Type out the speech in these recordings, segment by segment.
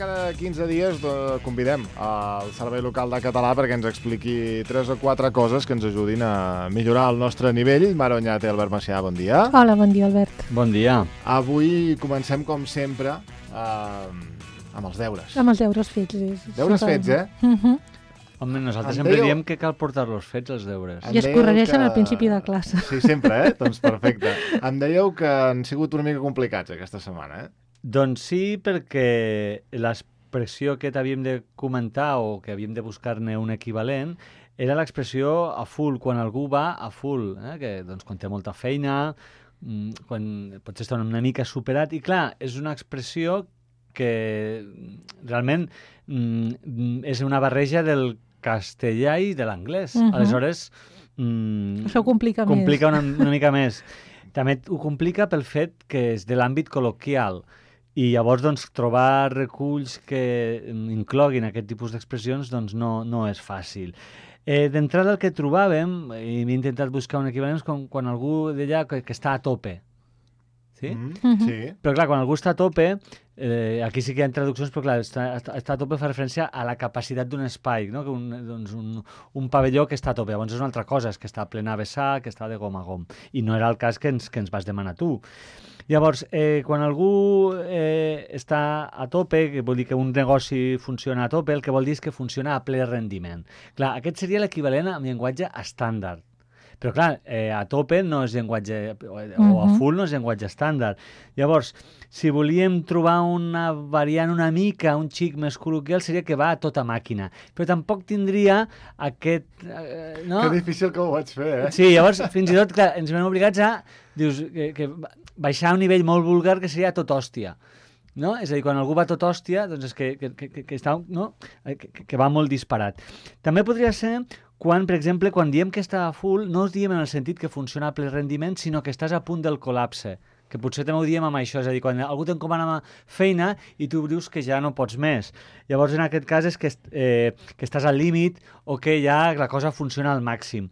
cada 15 dies convidem al Servei Local de Català perquè ens expliqui 3 o 4 coses que ens ajudin a millorar el nostre nivell. Mara Oñate, Albert Macià, bon dia. Hola, bon dia, Albert. Bon dia. Avui comencem, com sempre, amb els deures. Amb els deures fets. Deures fets, eh? Home, nosaltres sempre diem que cal portar-los fets, els deures. I es corregeixen al principi de classe. Sí, sempre, eh? Doncs perfecte. Em dèieu que han sigut una mica complicats aquesta setmana, eh? Doncs sí, perquè l'expressió que t'havíem de comentar o que havíem de buscar-ne un equivalent era l'expressió a full, quan algú va a full, que doncs, quan té molta feina, quan potser està una mica superat. I clar, és una expressió que realment és una barreja del castellà i de l'anglès. Aleshores, això complica més. Complica una mica més. També ho complica pel fet que és de l'àmbit col·loquial. I llavors, doncs, trobar reculls que incloguin aquest tipus d'expressions doncs, no és fàcil. D'entrada, el que trobàvem, i m'he intentat buscar un equivalent, és quan algú deia que està a tope. Sí? Sí. Però, clar, quan algú està a tope, aquí sí que hi ha traduccions, però, clar, està a tope fa referència a la capacitat d'un espai, no? Un pavelló que està a tope. Llavors és una altra cosa, és que està plena a vessar, que està de gom a gom. I no era el cas que ens vas demanar tu. Llavors, quan algú està a tope, que vol dir que un negoci funciona a tope, el que vol dir és que funciona a ple rendiment. Clar, aquest seria l'equivalent en llenguatge estàndard. Però, clar, a tope no és llenguatge, o a full no és llenguatge estàndard. Llavors, si volíem trobar una variant una mica, un xic més col·loquial, seria que va a tota màquina. Però tampoc tindria aquest... no? Que difícil que ho vaig fer, eh? Sí, llavors, fins i tot, clar, ens veiem obligats a que baixar a un nivell molt vulgar que seria tot hòstia. No? És a dir, quan algú va tot hòstia, doncs és que està, no? que va molt disparat. També podria ser quan, per exemple, quan diem que està a full, no us diem en el sentit que funciona a ple rendiment, sinó que estàs a punt del col·lapse, que potser també ho diem amb això, és a dir, quan algú t'encomana feina i tu dius que ja no pots més. Llavors, en aquest cas, és que estàs al límit o que ja la cosa funciona al màxim.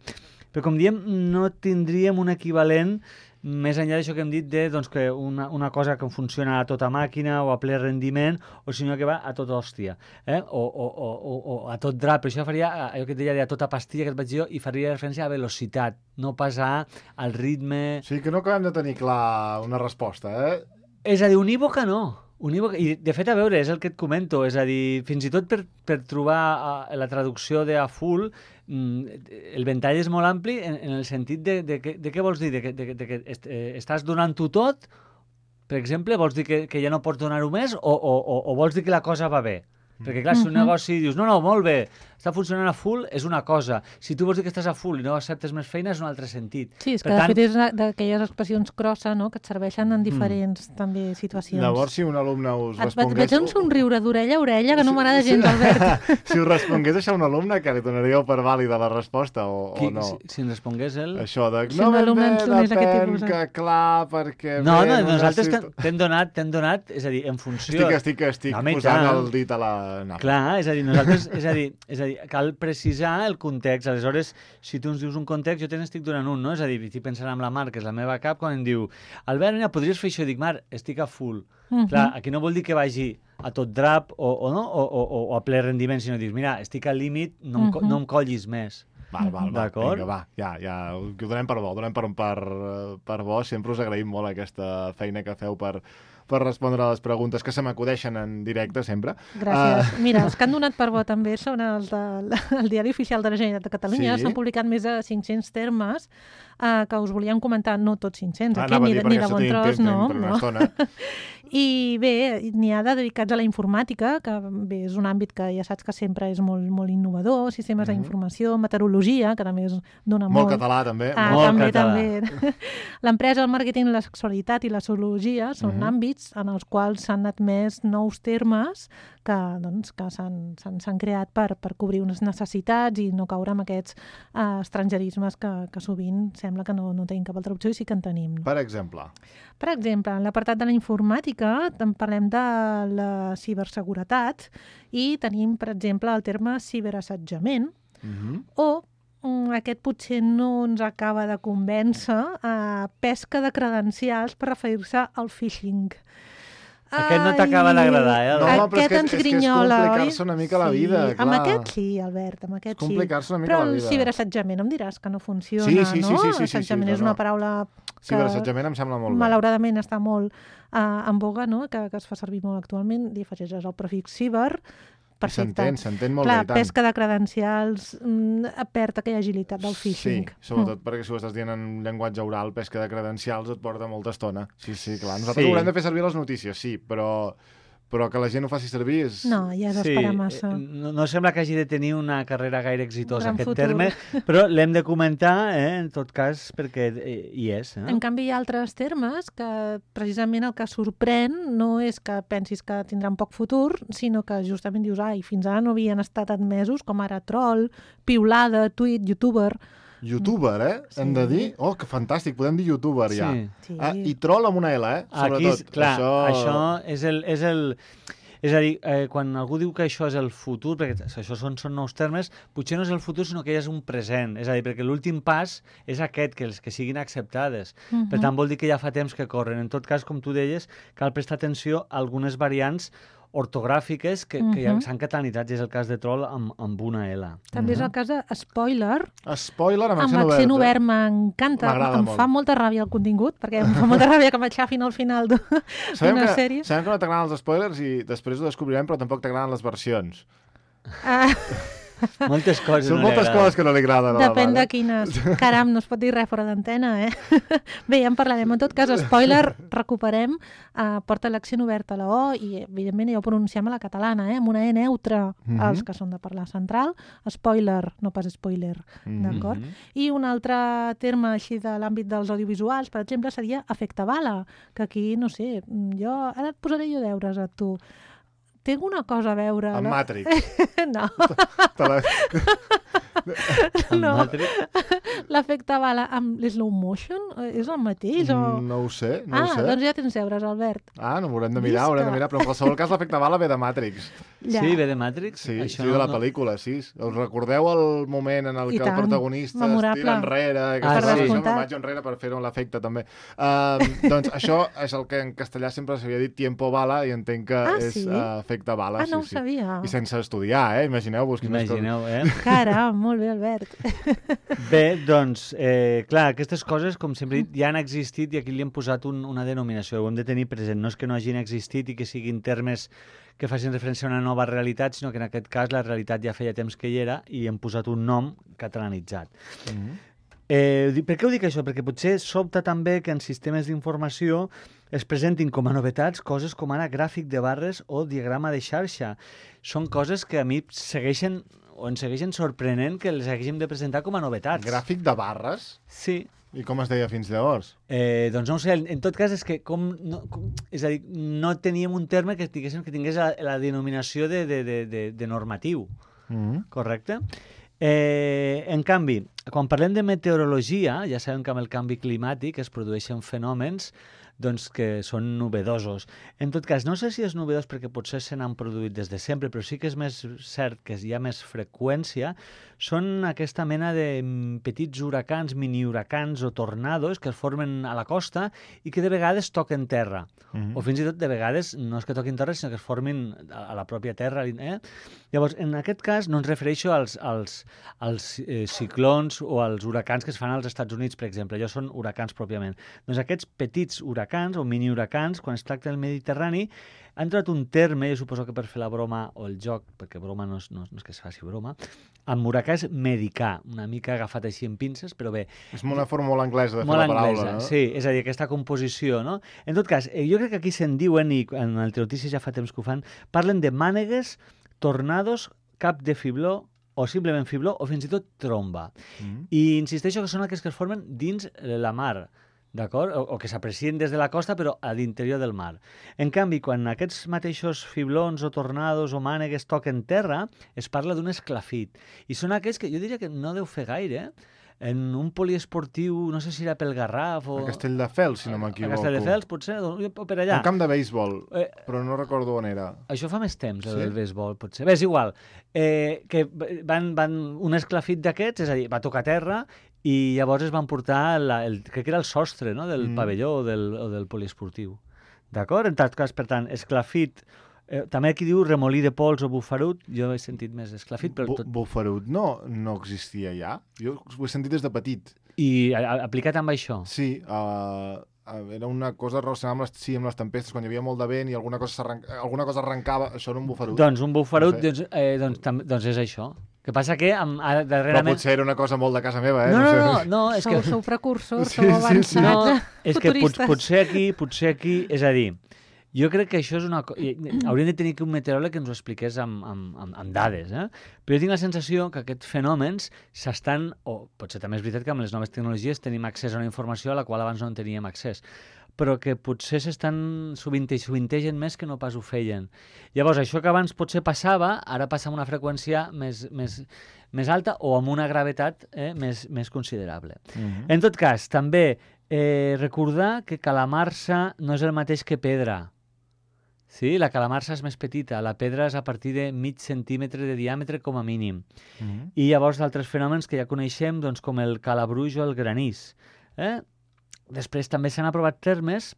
Però, com diem, no tindríem un equivalent més enllà d'això que hem dit doncs, que una cosa que funciona a tota màquina o a ple rendiment, o sinó que va a tot hòstia, o a tot drap. Però això faria, allò que et deia, a tota pastilla que et vaig dir jo, i faria referència a velocitat, no pas al ritme... Sí, que no acabem de tenir clar una resposta, eh? És a dir, unívoca no. I, de fet, a veure, és el que et comento, és a dir, fins i tot per trobar la traducció de a full, el ventall és molt ampli en el sentit de què vols dir? De que estàs donant-ho tot, per exemple, vols dir que ja no pots donar-ho més o vols dir que la cosa va bé? Perquè, clar, si un negoci dius, no, molt bé, està funcionant a full, és una cosa. Si tu vols dir que estàs a full i no acceptes més feina, és un altre sentit. Sí, és que de fet és d'aquelles expressions crossa, no?, que et serveixen en diferents també situacions. Llavors, si un alumne us respongués... Et veig un somriure d'orella a orella que no m'agrada gens, Albert. Si us respongués això a un alumne, que li donaríeu per vàlida la resposta o no? Si ens respongués ell... Això de... Si un alumne ens donés aquest tipus... que clar, perquè... No, nosaltres t'hem donat, és a dir, en funció... Estic posant el dit a la... Clar, és a dir, nosaltres, és a dir, cal precisar el context. Aleshores, si tu ens dius un context, jo te n'estic donant un, no? És a dir, estic pensant en la Mar, que és la meva cap, quan em diu, Albert, mira, podries fer això? Dic, Mar, estic a full. Clar, aquí no vol dir que vagi a tot drap o a ple rendiment, sinó dius, mira, estic al límit, no em collis més. Val, d'acord? Vinga, va, ja, ho donem per bo, per bo. Sempre us agraïm molt aquesta feina que feu per respondre a les preguntes que se m'acudeixen en directe, sempre. Gràcies. Mira, els que han donat per bo també són els del Diari Oficial de la Generalitat de Catalunya. S'han publicat més de 500 termes que us volíem comentar, no tots 500, aquí ni de bon tros, no. I bé, n'hi ha dedicats a la informàtica, que bé, és un àmbit que ja saps que sempre és molt, molt innovador, sistemes d'informació, meteorologia, que també dona molt... Molt català, també. També. L'empresa, el màrqueting, la sexualitat i la zoologia són àmbits en els quals s'han admès nous termes que s'han creat per cobrir unes necessitats i no caure en aquests estrangerismes que sovint sembla que no tenim cap altra opció i sí que en tenim. Per exemple? Per exemple, en l'apartat de la informàtica parlem de la ciberseguretat i tenim, per exemple, el terme ciberassetjament o aquest potser no ens acaba de convèncer, pesca de credencials per referir-se al phishing. Aquest no t'acaba d'agradar, eh? No, però aquest ens grinyola, és complicar-se una mica la vida, clar. Amb aquest sí, Albert, amb aquest sí. Complicar-se una mica la vida. Però el ciberassetjament em diràs que no funciona, no? Sí, Assetjament és una paraula que ciberassetjament em sembla molt bé. Malauradament està molt en boga, no? Que es fa servir molt actualment, li afegeixes el prefix ciber. Perfecte. S'entén molt bé, i tant. Pesca de credencials, perd aquella agilitat del phishing. Sí, sobretot perquè si ho estàs dient en llenguatge oral, pesca de credencials et porta molta estona. Sí, clar. Nosaltres haurem de fer servir les notícies, sí, però que la gent ho faci servir és... No, ja és esperar massa. No sembla que hagi de tenir una carrera gaire exitosa, aquest terme, però l'hem de comentar, en tot cas, perquè hi és. En canvi, hi ha altres termes que precisament el que sorprèn no és que pensis que tindran poc futur, sinó que justament dius, fins ara no havien estat admesos, com ara troll, piulada, tuit, youtuber... Youtuber, Sí. Hem de dir? Oh, que fantàstic, podem dir youtuber ja. Sí. I troll amb una L, sobretot. Aquí, clar, això és el... És a dir, quan algú diu que això és el futur, perquè això són nous termes, potser no és el futur, sinó que ja és un present. És a dir, perquè l'últim pas és aquest, que els que siguin acceptades. Per tant, vol dir que ja fa temps que corren. En tot cas, com tu deies, cal prestar atenció a algunes variants ortogràfiques que ja s'han catalanitzat, i és el cas de troll amb una L. També és el cas de spoiler. Spoiler amb accent obert m'encanta. Em fa molta ràbia el contingut, perquè em fa molta ràbia que m'aixafin al final d'una sèrie. Sabem que no t'agraden els spoilers i després ho descobrirem, però tampoc t'agraden les versions. Moltes coses Són moltes coses que no li agraden. Depèn de quines. Caram, no es pot dir res fora d'antena, Bé, ja en parlarem. En tot cas, spoiler, recuperem, porta l'accent obert a la O i, evidentment, ja ho pronunciem a la catalana, amb una E neutra, els que són de parlar central. Spoiler, no pas spoiler, d'acord? I un altre terme així de l'àmbit dels audiovisuals, per exemple, seria efecte bala, que aquí, no sé, ara et posaré jo deures a tu. Tinc una cosa a veure... Amb Matrix. No. No. L'efecte bala amb slow motion és el mateix? No ho sé, no ho sé. Doncs ja tens deures, Albert. No m'haurem de mirar, però en qualsevol cas l'efecte bala ve de Matrix. Ja. Sí, ve de Matrix? Sí, de la pel·lícula, sí. Us recordeu el moment en el que el protagonista es tira enrere, que es deixa una imatge enrere per fer-ho l'efecte també. Doncs això és el que en castellà sempre s'havia dit tiempo bala i entenc que és efecte bala. No ho sabia. I sense estudiar, imagineu-vos. Imagineu, Caram, molt bé, Albert. Bé, doncs, clar, aquestes coses, com sempre he dit, ja han existit i aquí li hem posat una denominació. Ho hem de tenir present. No és que no hagin existit i que siguin termes que facin referència a una nova realitat, sinó que en aquest cas la realitat ja feia temps que hi era i hem posat un nom catalanitzat. Per què ho dic això? Perquè potser sobta també que en sistemes d'informació es presentin com a novetats coses com ara gràfic de barres o diagrama de xarxa. Són coses que a mi ens segueixen sorprenent que les haguéssim de presentar com a novetats. Gràfic de barres? Sí. I com es deia fins llavors? Doncs no ho sé, en tot cas és que és a dir, no teníem un terme que tingués la denominació de normatiu, correcte? En canvi, quan parlem de meteorologia, ja sabem que amb el canvi climàtic es produeixen fenòmens que són novedosos. En tot cas, no sé si és novedós perquè potser se n'han produït des de sempre, però sí que és més cert que hi ha més freqüència, són aquesta mena de petits huracans, mini-huracans o tornados que es formen a la costa i que de vegades toquen terra. O fins i tot de vegades no és que toquin terra, sinó que es formin a la pròpia terra. Llavors, en aquest cas no ens refereixo als ciclons o als huracans que es fan als Estats Units, per exemple. Allò són huracans pròpiament. Doncs aquests petits huracans o mini-huracans, quan es tracta del Mediterrani, han trobat un terme, jo suposo que per fer la broma o el joc, perquè broma no és que es faci broma, amb huracà és medicà, una mica agafat així en pinces, però bé. És una forma molt anglesa de fer la paraula, no? Sí, és a dir, aquesta composició, no? En tot cas, jo crec que aquí se'n diuen, i en el Notícies ja fa temps que ho fan, parlen de mànegues, tornados, cap de fibló, o simplement fibló, o fins i tot tromba. I insisteixo que són aquells que es formen dins la mar, d'acord? O que s'aprecien des de la costa, però a l'interior del mar. En canvi, quan aquests mateixos fiblons o tornados o mànegues toquen terra, es parla d'un esclafit. I són aquells que jo diria que no deu fer gaire, en un poliesportiu, no sé si era pel Garraf o... A Castelldefels, si no m'equivoco. A Castelldefels, potser, o per allà. Un camp de béisbol, però no recordo on era. Això fa més temps, el béisbol, potser. Bé, és igual. Que van un esclafit d'aquests, és a dir, va tocar terra i llavors es van portar, crec que era el sostre, no?, del pavelló o del poliesportiu. D'acord? En tot cas, per tant, esclafit, també aquí diu remolí de pols o bufarut, jo he sentit més esclafit, però tot... Bufarut no existia ja? Jo ho he sentit des de petit. I aplicat amb això? Sí, era una cosa relacionada amb les tempestes, quan hi havia molt de vent i alguna cosa arrencava, això era un bufarut. Doncs un bufarut, doncs és això. Que passa que darrerament... Però potser era una cosa molt de casa meva, No, és que... Sou precursors, sou avançats, futuristes. És que potser aquí, és a dir, jo crec que això és una cosa... Hauríem de tenir un meteoròleg que ens ho expliqués amb dades, Però jo tinc la sensació que aquests fenòmens s'estan... O potser també és veritat que amb les noves tecnologies tenim accés a una informació a la qual abans no en teníem accés, però que potser sovintegen més que no pas ho feien. Llavors, això que abans potser passava, ara passa amb una freqüència més alta o amb una gravetat més considerable. En tot cas, també recordar que calamarsa no és el mateix que pedra. Sí, la calamarsa és més petita, la pedra és a partir de mig centímetre de diàmetre com a mínim. I llavors d'altres fenòmens que ja coneixem, doncs, com el calabruix o el granís. Després també s'han aprovat termes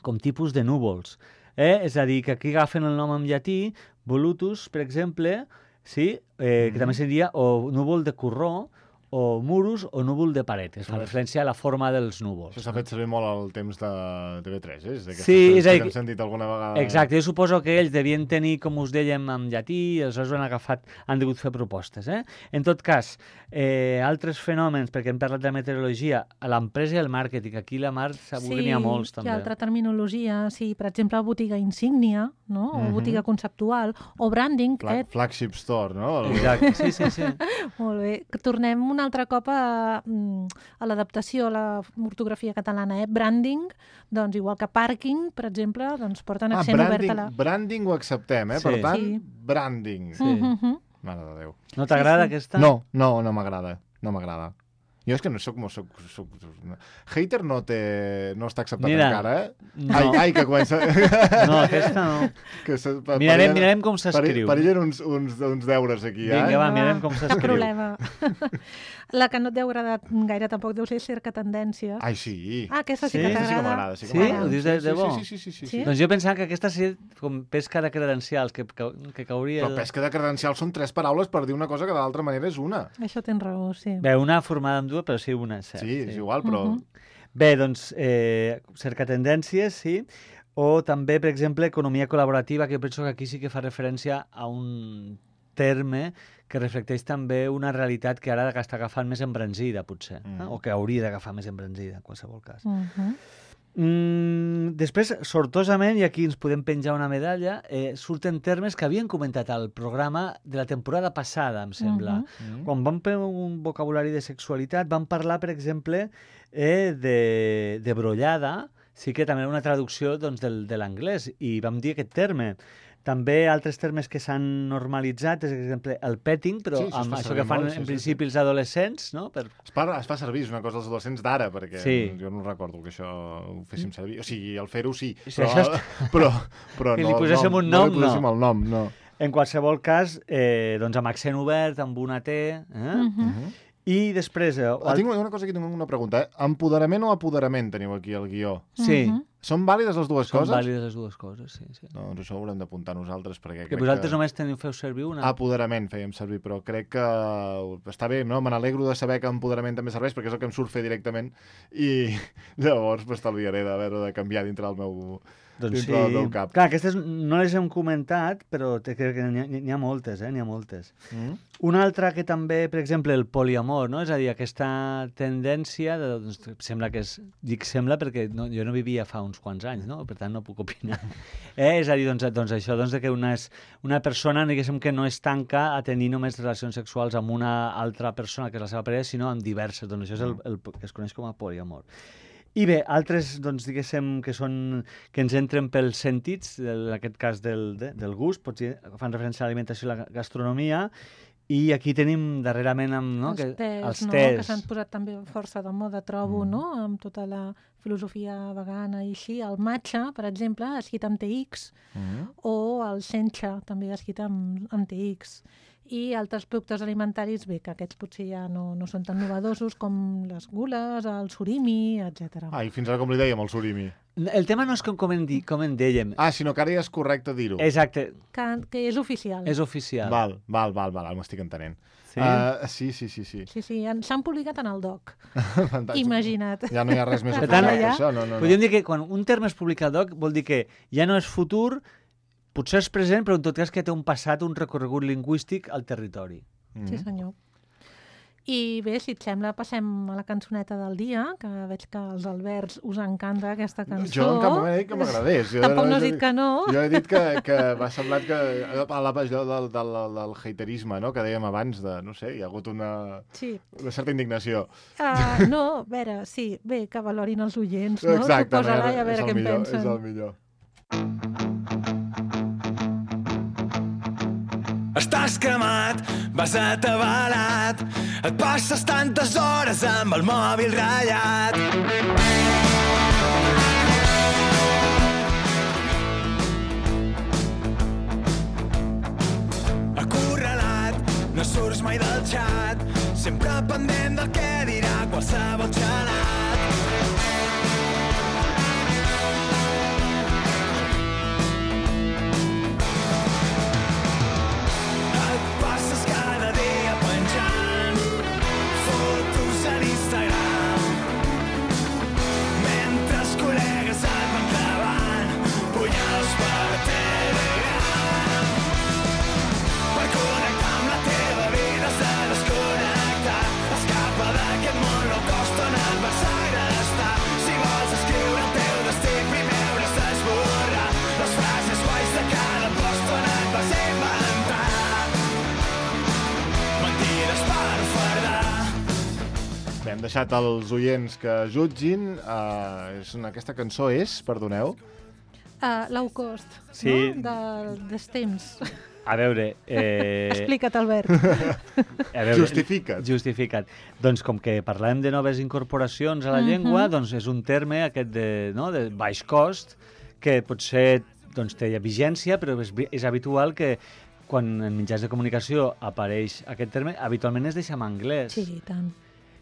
com tipus de núvols. És a dir, que aquí agafen el nom en llatí, volutus, per exemple, sí? Que també seria o núvol de corró, o murus o núvol de paret. És fa referència a la forma dels núvols. Això s'ha fet servir molt al temps de TV3, Sí, és a dir... Que hem sentit alguna vegada... Exacte, jo suposo que ells devien tenir, com us dèiem, en llatí, i aleshores han degut fer propostes. En tot cas, altres fenòmens, perquè hem parlat de meteorologia, l'empresa i el màrqueting, aquí la Mar segur que n'hi ha molts, també. Sí, hi ha altra terminologia, sí, per exemple, botiga insígnia, no? O botiga conceptual, o branding. Flagship store, no? Exacte, sí. Molt bé. Tornem un altre cop a l'adaptació a la ortografia catalana. Branding, doncs igual que pàrquing, per exemple, doncs porten accent obert a la... Branding ho acceptem, per tant, branding. Mare de Déu. No t'agrada aquesta? No m'agrada. No m'agrada. Jo és que no soc... Hater no està acceptat encara, No. Ai, que comença... No, aquesta no. Mirarem com s'escriu. Perillen uns deures aquí, Vinga, va, mirarem com s'escriu. Problema. La que no et deu agradar gaire tampoc deu ser cerca tendències. Ai, sí. Aquesta sí que t'agrada. Sí que m'agrada. Sí? Ho dius de bo? Sí. Doncs jo pensava que aquesta seria com pesca de credencials, que cauria... Però pesca de credencials són 3 paraules per dir una cosa que de l'altra manera és una. Això tens raó, sí. Bé, una formada amb dues, però sí una, cert. Sí, és igual, però... Bé, doncs, cerca tendències, sí. O també, per exemple, economia col·laborativa, que jo penso que aquí sí que fa referència a un terme que reflecteix també una realitat que ara està agafant més embranzida, potser, o que hauria d'agafar més embranzida, en qualsevol cas. Després, sortosament, i aquí ens podem penjar una medalla, surten termes que havien comentat al programa de la temporada passada, em sembla. Quan vam fer un vocabulari de sexualitat, vam parlar, per exemple, de brollada, sí que també era una traducció doncs, de l'anglès, i vam dir aquest terme. També altres termes que s'han normalitzat, per exemple, el petting, però amb això que fan en principi els adolescents, no? Es fa servir, és una cosa dels adolescents d'ara, perquè jo no recordo que això ho féssim servir. O sigui, el fer-ho sí, però que li poséssim un nom, no. No li poséssim el nom, no. En qualsevol cas, doncs amb accent obert, amb una T... I després... Tinc una cosa aquí, tinc una pregunta. Empoderament o apoderament teniu aquí al guió? Sí. Són vàlides les dues coses? Són vàlides les dues coses, sí. Doncs això ho haurem d'apuntar nosaltres, perquè que vosaltres només feu servir una. Apoderament fèiem servir, però crec que està bé, no? Me n'alegro de saber que empoderament també serveix, perquè és el que em surt fer directament, i llavors m'estalviaré de canviar dintre del meu... Doncs sí. Del cap. Clar, aquestes no les hem comentat, però crec que n'hi ha moltes, n'hi ha moltes. Una altra que també, per exemple, el poliamor, no? És a dir, aquesta tendència, sembla que és... Dic sembla perquè jo no vivia fa uns quants anys, no? Per tant, no puc opinar. És a dir, doncs això, que una persona, diguéssim, que no es tanca a tenir només relacions sexuals amb una altra persona que és la seva parella, sinó amb diverses. Doncs això és el que es coneix com a poliamor. I bé, altres, doncs, diguéssim, que ens entren pels sentits, en aquest cas del gust, potser fan referència a l'alimentació i la gastronomia, i aquí tenim darrerament els tés, que s'han posat també força de moda, trobo, no? Amb tota la filosofia vegana i així. El matcha, per exemple, escrit amb TX, o el sencha, també escrit amb TX. I altres productes alimentaris, bé, que aquests potser ja no són tan novedosos com les gules, el surimi, etc. I fins ara com li dèiem, el surimi? El tema no és com en dèiem. Sinó que ara ja és correcte dir-ho. Exacte. Que és oficial. És oficial. Val, m'estic entenent. Sí. Sí, s'han publicat en el DOC. Imagina't. Ja no hi ha res més oficial que això. Podríem dir que quan un terme es publica al DOC vol dir que ja no és futur, potser és present, però en tot cas que té un passat, un recorregut lingüístic al territori. Sí, senyor. I bé, si et sembla, passem a la cançoneta del dia, que veig que als Alberts us encanta aquesta cançó. Jo en cap moment he dit que m'agradés. Tampoc no has dit que no. Jo he dit que m'ha semblat que a la pàgina del haterisme, no?, que dèiem abans, no sé, hi ha hagut una certa indignació. No, a veure, sí, bé, que valorin els oients, no? Exacte, posa-la i a veure què en pensen. És el millor. Estàs cremat, vas atabalat, et passes tantes hores amb el mòbil ratllat. Acorralat, no surts mai del xat, sempre pendent del que dirà qualsevol xalat. Hem deixat els oients que jutgin. Aquesta cançó és, perdoneu? Low Cost, sí. No? Dels temps. A veure... Explica't, Albert. Justifica't. Doncs com que parlem de noves incorporacions a la llengua, doncs és un terme aquest de baix cost, que potser té vigència, però és habitual que quan en mitjans de comunicació apareix aquest terme, habitualment es deixa en anglès. Sí, i tant.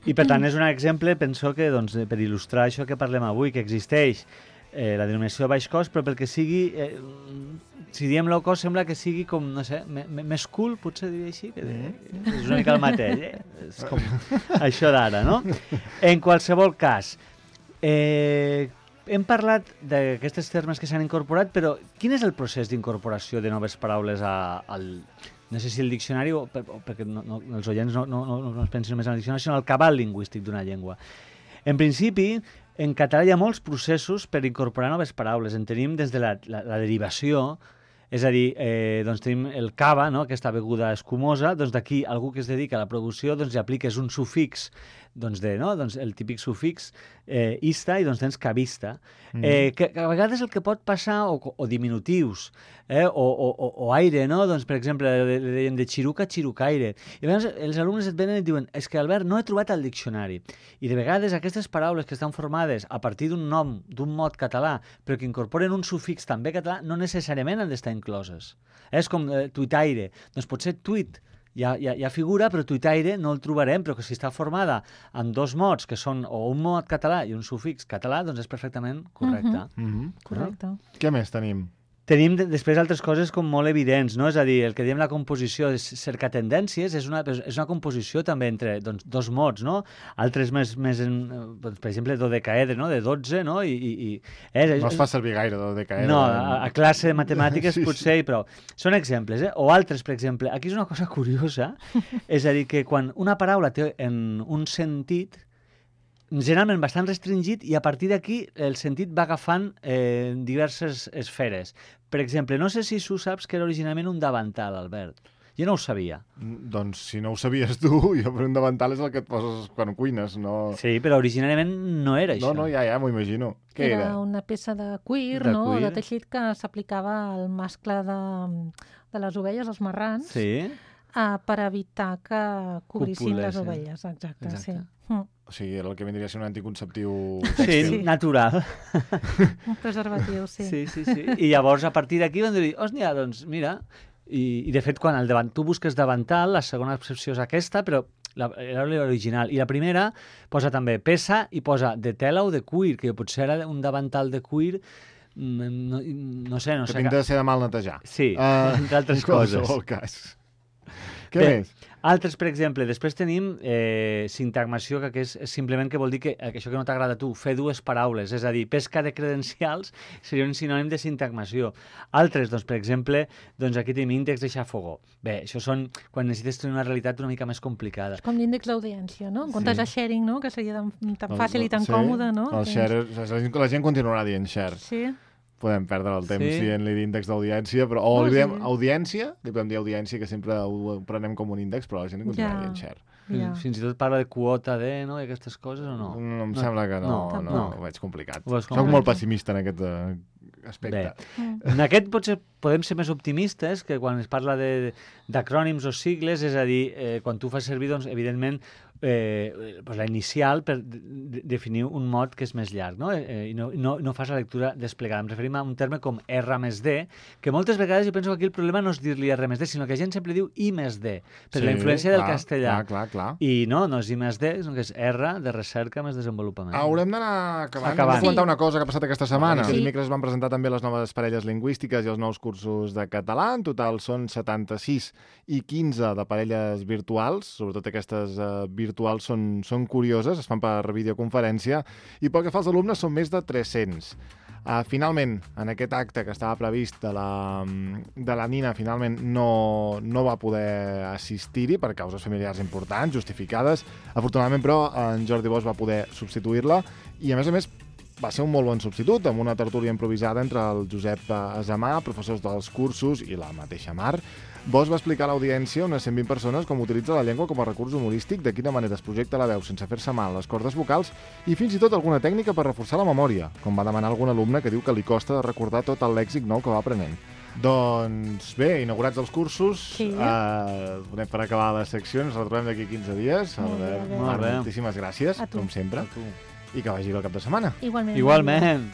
I per tant és un exemple, penso que per il·lustrar això que parlem avui, que existeix la denominació baix cost, però pel que sigui, si diem low cost sembla que sigui com, no sé, més cool, potser diria així, que és una mica el mateix, és com això d'ara, no? En qualsevol cas, hem parlat d'aquestes termes que s'han incorporat, però quin és el procés d'incorporació de noves paraules al... No sé si el diccionari, perquè els oients no es pensin només en el diccionari, sinó el cabal lingüístic d'una llengua. En principi, en català hi ha molts processos per incorporar noves paraules. En tenim des de la derivació, és a dir, doncs tenim el cava, no?, aquesta beguda escumosa, doncs d'aquí algú que es dedica a la producció doncs li apliques un sufix, doncs el típic sufix ista, i doncs tens cavista. Que a vegades el que pot passar, o diminutius, o aire, no? Doncs, per exemple, deien de xiruca, xirucaire. I a vegades els alumnes et venen i et diuen és que, Albert, no he trobat el diccionari. I de vegades aquestes paraules que estan formades a partir d'un nom, d'un mot català, però que incorporen un sufix també català, no necessàriament han d'estar incloses. És com tuitaire. Doncs potser tuit ja figura, però tuitaire no el trobarem, però que si està formada amb dos mots, que són o un mot català i un sufix català, doncs és perfectament correcte. Correcte. Què més tenim? Tenim després altres coses com molt evidents, no? És a dir, el que diem la composició de cercar tendències és una composició també entre dos mots, no? Altres més per exemple, dodecaedre, no? De 12, no? No es fa servir gaire, dodecaedre. No, a classe de matemàtiques potser, però són exemples, O altres, per exemple, aquí és una cosa curiosa, és a dir, que quan una paraula té en un sentit, generalment bastant restringit, i a partir d'aquí el sentit va agafant diverses esferes. Per exemple, no sé si tu saps que era originalment un davantal, Albert. Jo no ho sabia. Doncs si no ho sabies tu, jo per un davantal és el que et poses quan cuines, no... Sí, però originalment no era això. No, ja m'ho imagino. Què era? Era una peça de cuir, no? De teixit que s'aplicava al mascle de les ovelles, els marrans, per evitar que cobrissin les ovelles. Exacte. Sí. O sigui, era el que vindria a ser un anticonceptiu tèxtil. Sí, natural. Un preservatiu, sí. Sí. I llavors, a partir d'aquí, van dir, doncs mira... I de fet, quan tu busques davantal, la segona excepció és aquesta, però era l'original. I la primera posa també peça i posa de tela o de cuir, que potser era un davantal de cuir, no sé. Que tinc de ser de mal netejar. Sí, entre altres coses. En qualsevol cas. Què més? Altres, per exemple, després tenim sintagmació, que és simplement que vol dir que això que no t'agrada a tu, fer dues paraules, és a dir, pesca de credencials seria un sinònim de sintagmació. Altres, doncs, per exemple, doncs aquí tenim índex de xafogó. Bé, això són quan necessites tenir una realitat una mica més complicada. És com l'índex d'audiència, no? En comptes de sharing, no? Que seria tan fàcil i tan còmode, no? El share, la gent continuarà dient share. Sí. Podem perdre el temps dient-li l'índex d'audiència, però li diem audiència, li podem dir audiència, que sempre ho prenem com un índex, però la gent continuarà dient share. Fins i tot parla de quota de, no?, i aquestes coses, o no? No, em sembla que no, ho veig complicat. Soc molt pessimista en aquest aspecte. En aquest potser podem ser més optimistes, que quan es parla d'acrònims o sigles, és a dir, quan tu fas servir, doncs, evidentment, la inicial per definir un mot que és més llarg, no? I no fas la lectura desplegada. Em referim a un terme com R més D, que moltes vegades jo penso que aquí el problema no és dir-li R més D, sinó que la gent sempre diu I més D, per la influència del castellà. Clar. I no és I més D, sinó que és R de recerca més desenvolupament. Haurem d'anar acabant. Hem de comentar una cosa que ha passat aquesta setmana. Aquest dimecres van presentar també les noves parelles lingüístiques i els nous cursos de català. En total són 76 i 15 de parelles virtuals, sobretot aquestes virtuals són curioses, es fan per videoconferència, i pel que fa als alumnes són més de 300. Finalment, en aquest acte que estava previst de la Nina, finalment no va poder assistir-hi per causes familiars importants, justificades. Afortunadament, però, en Jordi Bosch va poder substituir-la i, a més, va ser un molt bon substitut, amb una tertúlia improvisada entre el Josep Azamà, professors dels cursos, i la mateixa Mar. Bosch va explicar a l'audiència, unes 120 persones, com utilitza la llengua com a recurs humorístic, de quina manera es projecta la veu sense fer-se mal les cordes vocals i fins i tot alguna tècnica per reforçar la memòria, com va demanar algun alumne que diu que li costa de recordar tot el lèxic nou que va aprenent. Doncs bé, inaugurats els cursos, donem per acabar la secció, ens retrobem d'aquí 15 dies. Moltíssimes gràcies, com sempre, i que vagi bé el cap de setmana. Igualment. Igualment.